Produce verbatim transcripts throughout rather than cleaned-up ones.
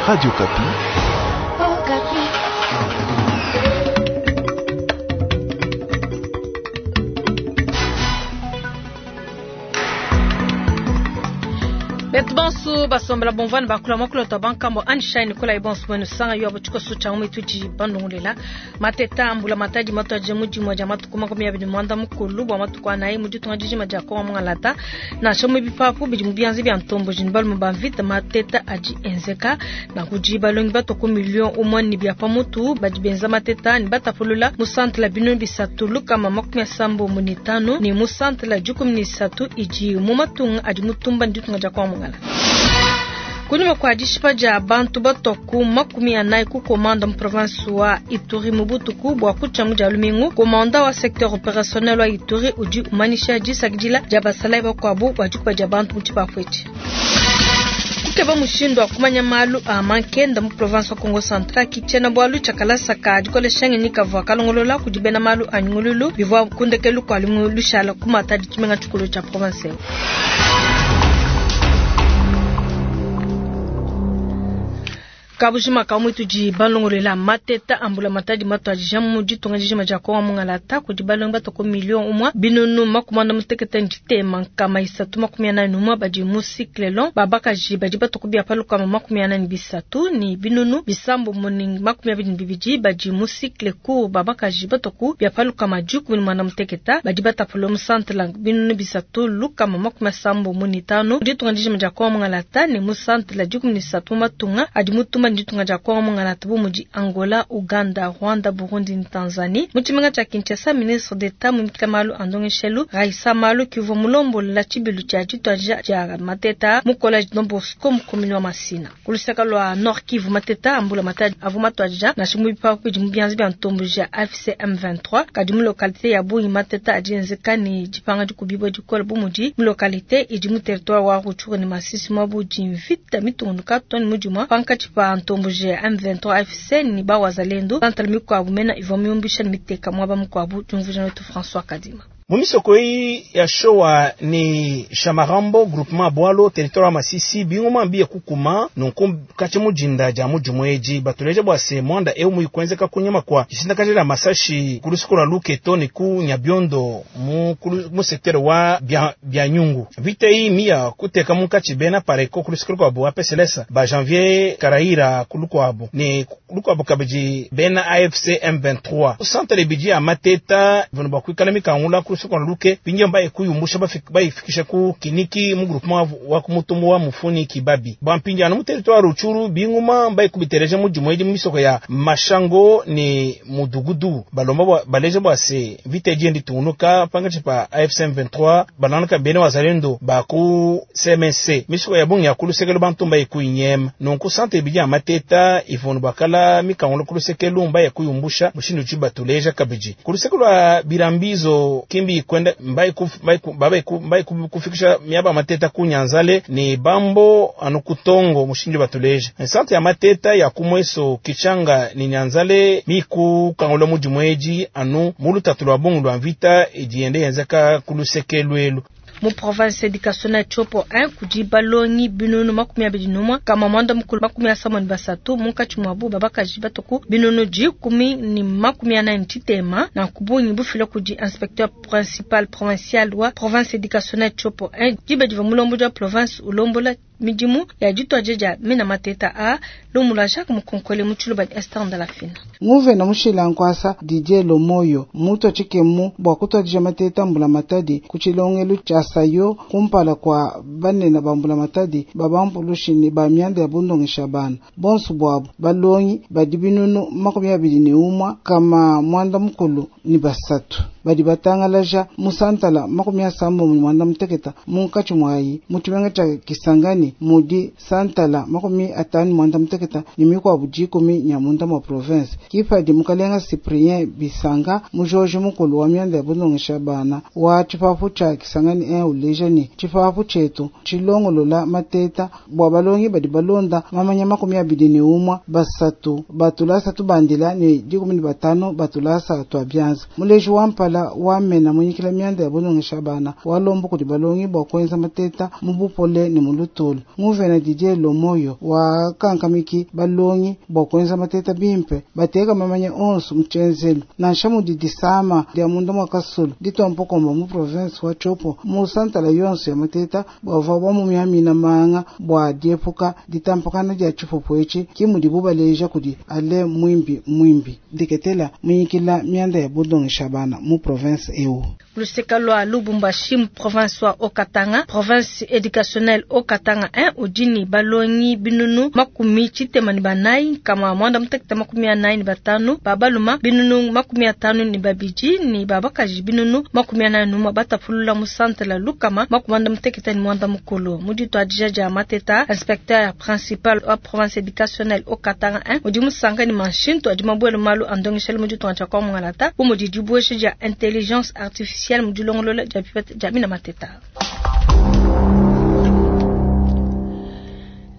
Radio Okapi. Betu bonso basombela bomvana bakula makulota bankambo anshine nikola ibonso mwenu sanga yo abuchiko cha umitu ji bandungulela mateta ambula matadi mato aje muji mwa matuku makumi abiri mwanda mukulu bwa matuku anayi mudi tunga jijima ja kongo mungalata na shomu bipapu bidi mubianzi bya ntombo jini balume ba mvita mateta aji enzeka na kuji balongi batoko million umwe ni bya pamutu badi benza mateta ni batapulula mu centre la bino bisatu lukama makumi asambo munitano ni mu centre la jukumi ni satu iji mu matunga adi mutumba ndi tunga ja kongo mungala. Kunyuma kwa dishipa ja bantu batoku makumi anayi ku komanda mu province wa Ituri mubutuku bwa kucha muja lumingu komanda wa secteur opérationnel wa Ituri udi umanisha disakidila ja basalayi bakwabu bwa ja bantu mutshipapu etshi. Kukeba mushindu wa kumanya malu a mankenda mu province wa Kongo Central kichena bwalu tshakalasa ka dikolesha ngenyi kavua kalongolola kudi bena malu a nyungululu bivua kundekelu kua lumingu lushala kumata ditshimenga tshikulu tsha province eu. Kabujima kamwitu di balongolela mateta ambula matadi mato adija mu ditunga dijima dia kongo mungalata kudi balongi batoko million umwa binunu makumi mutekete ntshitema nkama isatu makumi anani numwa badi mu cycle long babakaji badi batoko bia palukama makumi anani bisatu ni binunu bisambo muni makumi abidi ni bibidi badi mu cycle court babakaji batoko bia palukama dikumi ni mwanda muteketa badi batapula mu centre la binunu bisatu lukama makumi asambo muni tano ditunga dijima dia kongo mungalata ni mu centre la dikumi ni satu matunga adi mutuma nditunga dia kongo mungalata bu mudi Angola, Uganda, Rwanda, Burundi ni Tanzanie. Mutshimenga tshia Kinshasa, ministre d'État mumikila malu a ndongeshelu Raissa Malu kivua mulombola tshibilu tshia dituadija dia mateta mu collège Don Bosco mu commune wa Masina. Kulusaka lua Nord Kivu mateta ambula matadi avua matuadija nansha mu bipapu bidi mu bianza bia ntombo dia A F C M vingt-trois kadi mu localité ya Bungi mateta adi enzeka ni dipanga dikubibua dikole bu mudi mu localité idi mu territoire wa Rutshuru ni Masisi mwabu di mvita mitungunuka too ne mudimua pankatshi pa ntombo dia M vingt-trois A F C ni ba wazalendo bantala mikuabu mena ivua miumbisha ni miteka mwaba mukuabu diumvuija wetu François Kadima. Mumisoko eyi ya showa ni Shamarambo groupement Bwalo territoire ya Masisi bingoma mbiye kukuma nunku kachi mujinda ja mujumu eji batuleje bwa se mwanda eu muikwenzeka kunyama kwa jisindakaje masashi kulusiku lwa Luketo ni ku Nyabiondo mu mu secteur wa bya, bya nyungu vita iyi miya kuteka mukachi bena pareko kulusiku lwa bo A P C L S ba Janvier Karaira kulukwabo ni kulukwabo kabiji bena A F C M vingt-trois centre biji ya mateta vono bakwikala mikangula kulusiku lwa Luke pingi mbaye kuyumbusha bayifikisha ku kiniki mu groupement wa kumutumbu wa mufuni kibabi bampingi anu mu territoire Rutshuru binguma mbaye kubitereje mu jumwe mu misoko ya Mashango ni Mudugudu balomba baleje bwa se vita endi tunuka pangachi pa A F C M vingt-trois bananaka bene wazalendo ba ku C M C misoko ya bungi ya kulusekelo bantu mbaye kuyinyema nunku centre biji ya mateta ivono bakala mikangula kulusekelo mbaye kuyumbusha mushindu chibatuleja kabiji kulusekelo lwa birambizo kimbi kwenda mbaye kuf, mbaye ku, babaye ku, mbaye kufikisha miaba mateta ku Nyanzale ni bambo anu kutongo mushindu batuleja centre ya mateta ya kumweso kichanga ni Nyanzale miku kangula mujimweji anu mulutatu lwa bungu lwa mvita ijiende yenzeka kulusekelwelu. Mu province éducationnelle Tshopo un kudi balongi binunu makumi abidi numwa kama mwanda mukulu makumi asamo ni basatu munkatshi mwabu babakaji batoku binunu dikumi ni makumi anani tshitema na kubungi bufila kudi inspecteur principal provincial wa province éducationnelle Tshopo un diba diva mulombo wa province ulombola midimu ya dituadija dia mena mateta a lumula Jacques Mukonkole mu tshiluba Esther Ndalafina. Nguvena mushila nkwasa Didier Lomoyo mutu tshikemu bua kutuadija mateta mbula matadi ku tshilongelu tshia sayo kumpala kwa banene ba mbula matadi babampulushi ba mianda ya bundongesha bana bonso bwabu balongi badi binunu makumi abidi ne umwa kama mwanda mukulu ni basatu badi batangalaja musantala makumi asambo mu mwanda muteketa munkatshi mwayi mu tshimenga tshia Kisangani mudi santala makumi atanu mwanda muteketa ni mikwabu dikumi nyamunda mwa province kipadi mukalenga Cyprien Bisanga mujoji mukulu wa mianda ya bundongesha bana wa tshipapu tshia Kisangani un uleja ni tshipapu tshietu tshilongolola mateta bua balongi badi balonda mamanya makumi abidi ne umwa basatu batulasa tubandila ne dikumi ne batano batulasa tua bianza muleji wa mpala kumpala wa mena munyikila mianda ya bulongesha bana walomba kudi balongi bua kuenza mateta mu bupole ne mu lutulu. Nguvena Didier Lomoyo wa kankamiki balongi bua kuenza mateta bimpe bateka mamanya onso mu tshenzelu nansha mudi disama dia munda mua kasulu ditompokomba mu province wa Tshopo mu santala yonso ya mateta bavua bamumiamina manga bua diepuka ditampakana dia tshipupu etshi ki mudibu baleja kudi ale mwimbi mwimbi diketela munyikila mianda ya bulongesha bana mu province eu. Luseka lwa Lubumbashi mu province wa Haut-Katanga, province éducationnelle Haut-Katanga un udini balongi binunu makumi tshitema ni banayi kama mwanda mutekete makumi anayi ni batanu babaluma binunu makumi atanu ni babidi ni babakaji binunu makumi anayi numa batapulula mu centre la Lukama makumi mutekete ni mwanda mukulu mudito adija dia mateta inspecteur principal wa province éducationnelle Haut-Katanga un udi musanga ni manshintu adi mabwele malu andongeshele mudito ancha kwa mwangalata umudi dibweshe dia intelligence artificielle mudilongolola dia pipete dia mina mateta.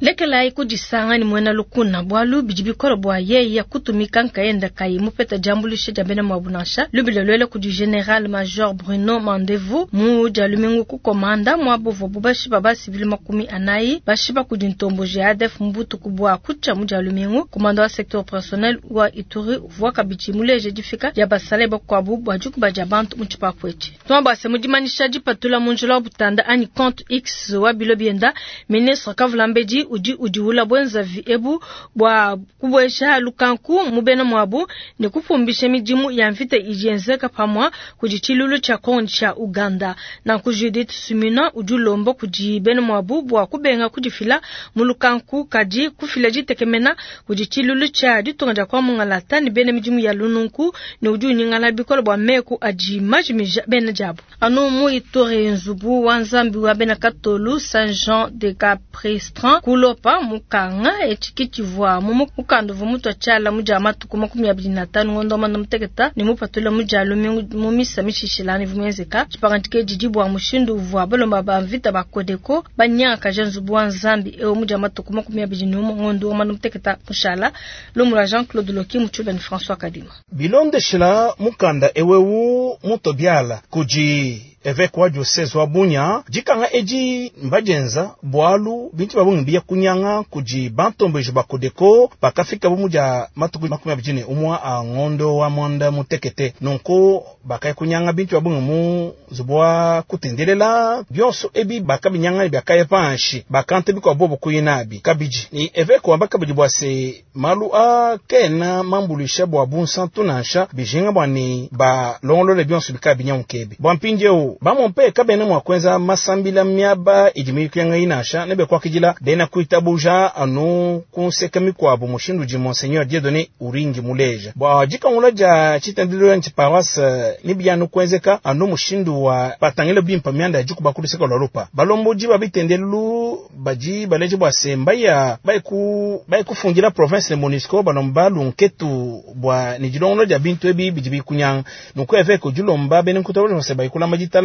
Lekela ikudisanga ni mwena lukuna bwalu bidi bikolo bwa yeye kutumika nkaenda kai mupeta jambulishe jambena mwabunansha lubile lwele kudi General Major Bruno Mandevu mu jalumingu ku komanda mwabovo bubashi baba civil makumi anayi bashiba kudi ntombo G A D F mbutu kubwa kucha mu jalumingu komanda wa secteur opérationnel wa Ituri vwa kabichi muleje difika ya basale bakwabu bwa jukuba jabantu muchipa kwechi twamba se mudimanisha dipatula munjula butanda ani compte X wa bilobienda ministre Kavulambedi udi udiula bwenza ebu bwa kubwesha lukanku mubena mwabu ne kufumbisha midimu ya mvita ijenzeka pamwa kudi chilulu cha Kongo cha Uganda na ku Judith Suminwa udi ulomba kudi bena mwabu bwa kubenga kudifila mu lukanku kadi kufila ditekemena kudi chilulu cha ditunga dia kwa mungalata ne bena midimu ya lununku ne udi unyingala bikolo bwa meku adi majimija bena diabu anu mu Ituri nzubu wa Nzambi wa bena Katolu Saint Jean de Capristran kulopa mukanga echikitivwa mu mukando vumutu achala muja matuku makumi abiri na tano ngondo manda muteketa ni mupatula muja lumingu mu misa mishishilani vumwezeka chipangantike jijibwa mushindu vwa balomba ba mvita bakodeko banyaka janzubu wa Nzambi ewo muja matuku makumi abiri n'umwe ngondo manda muteketa mushala lomula Jean-Claude Loki muchube ni François Kadima bilondeshela mukanda ewewu mutobiala kuji évêque wa diocèse wa Bunia dikanga edi mbajenza bwalu bintu babungi biya kunyanga kuji bantombejo bakodeko bakafika bumu dia matuku makumi abiri ne umwa a ngondo wa mwanda mutekete nonko bakaya kunyanga bintu babungi mu zubwa kutendelela byonso ebi bakabinyanga byakaya panshi bakante bikwa bobo kuyinabi kabiji ni évêque wa bakabidi bwase malu a kena mambulisha bwa bunsantu nansha bijinga bwani ba longolole byonso bikabinyamukebe bwa mpindieu bamompe kabene mwa kwenza masambila miaba idimikuyanga inasha nebe kwakijila bena kuitabuja anu kunseka mikwabu mushindu ji Monseigneur Dieudonné Uringi muleja bwa jikangula ja chitendelo nchi paroisse nibyanu kwenzeka anu mushindu wa patangile bimpa mianda ya jikuba kuluseka lwalupa balomboji babitendelu baji baleje bwa semba ya baiku baikufundila province de Monisco balomba lunketu bwa nijilongo ja bintu ebi bijibi kunyanga nuko évêque julomba bene nkutabula se baikula majitalala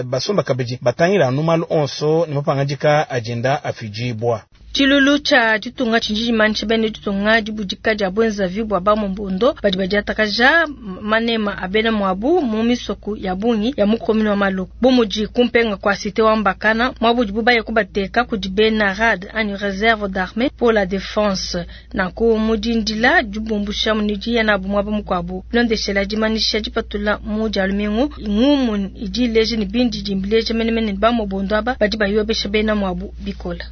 basomba kabeji batangila numalu onso ni mapangajika agenda afijibwa Chilulu cha ditunga chinjiji manche bene ditunga dibudika dia bwenza vibwa ba mumbundo badi badiatakaja manema abena mwabu mu misoku ya bungi ya mukomini wa Maluku bumuji kumpenga kwa cité wa Mbakana mwabu dibuba kubateka kudi bena rad ani réserve d'armée pour la défense na ku mudindila dibumbusha munidi ya nabu mwabu mukwabu londeshela dimanisha dipatula mu dialumingu ngumu idi leje ni bindi dimbileje menemene ba mubondo aba badi bayobesha bena mwabu bikola.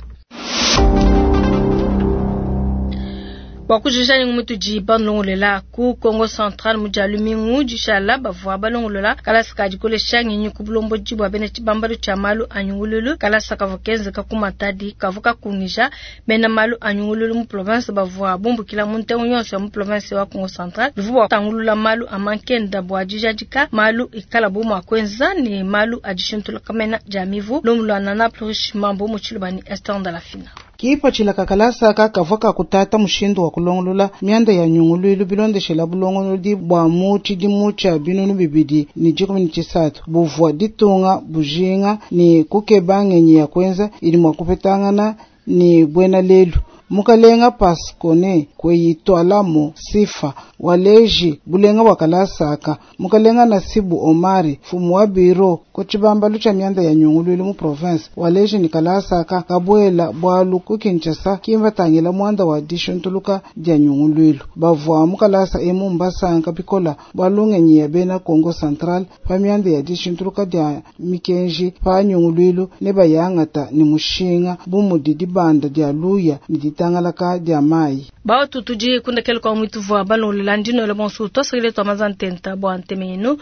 Wakujijani ngumutuji banlongolela ku Congo Central mujalumingu jishala bavwa balongolela kalasa kadikolesha nginyi kubulombo jibwa bena chibambalo cha malu anyungululu kalasa kavokenze kakumatadi kavuka kungija bena malu anyungululu mu province bavwa bumbukila muntengo yonso ya mu province wa Congo Central bivwa tangulula malu amankenda bwa jijadika malu ikala bo makwenza ni malu adishintula kamena jamivu lomulwana na plus mambo muchilubani Esther Ndalafina. Kipa chilaka kalasa kakavaka kutata mushindu wa kulongolola mianda ya nyungululu bilondeshela bulongolodi bwa mu tshidimu tshia binunu bibidi ni dikumi ni tshisatu buvua ditunga bujinga ni kukeba ngenyi ya kwenza ili mwa kupetangana ni bwena lelu Mukalenga Pascone Kweyitwalamo Sifa waleji bulenga bwa kalasaka. Mukalenga Nasibu Omari fumu wa biro ku tshibambalu tsha mianda ya nyunguluilu mu province waleji ni kalasaka kabwela bwalu ku Kinshasa kimbatangila mwanda wa dishuntuluka dia nyunguluilu. Bavwa mu kalasa emu mbasanka bikola bwa lungenyi ya bena Kongo Central pa mianda ya dishuntuluka dia mikenji pa nyunguluilu ne bayangata ni mushinga bu mudi dibanda dia luya ni ditangalaka dia mayi. Batu tudi kundekele kwa mwitu vwa balongolela ndino ele bonso twasakile twa mazantenta bwa ntemenu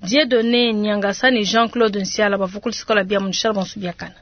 Dieudonné Nyangasa ni Jean-Claude Nsiala bavukulu sikola bia munishala bonso biakana.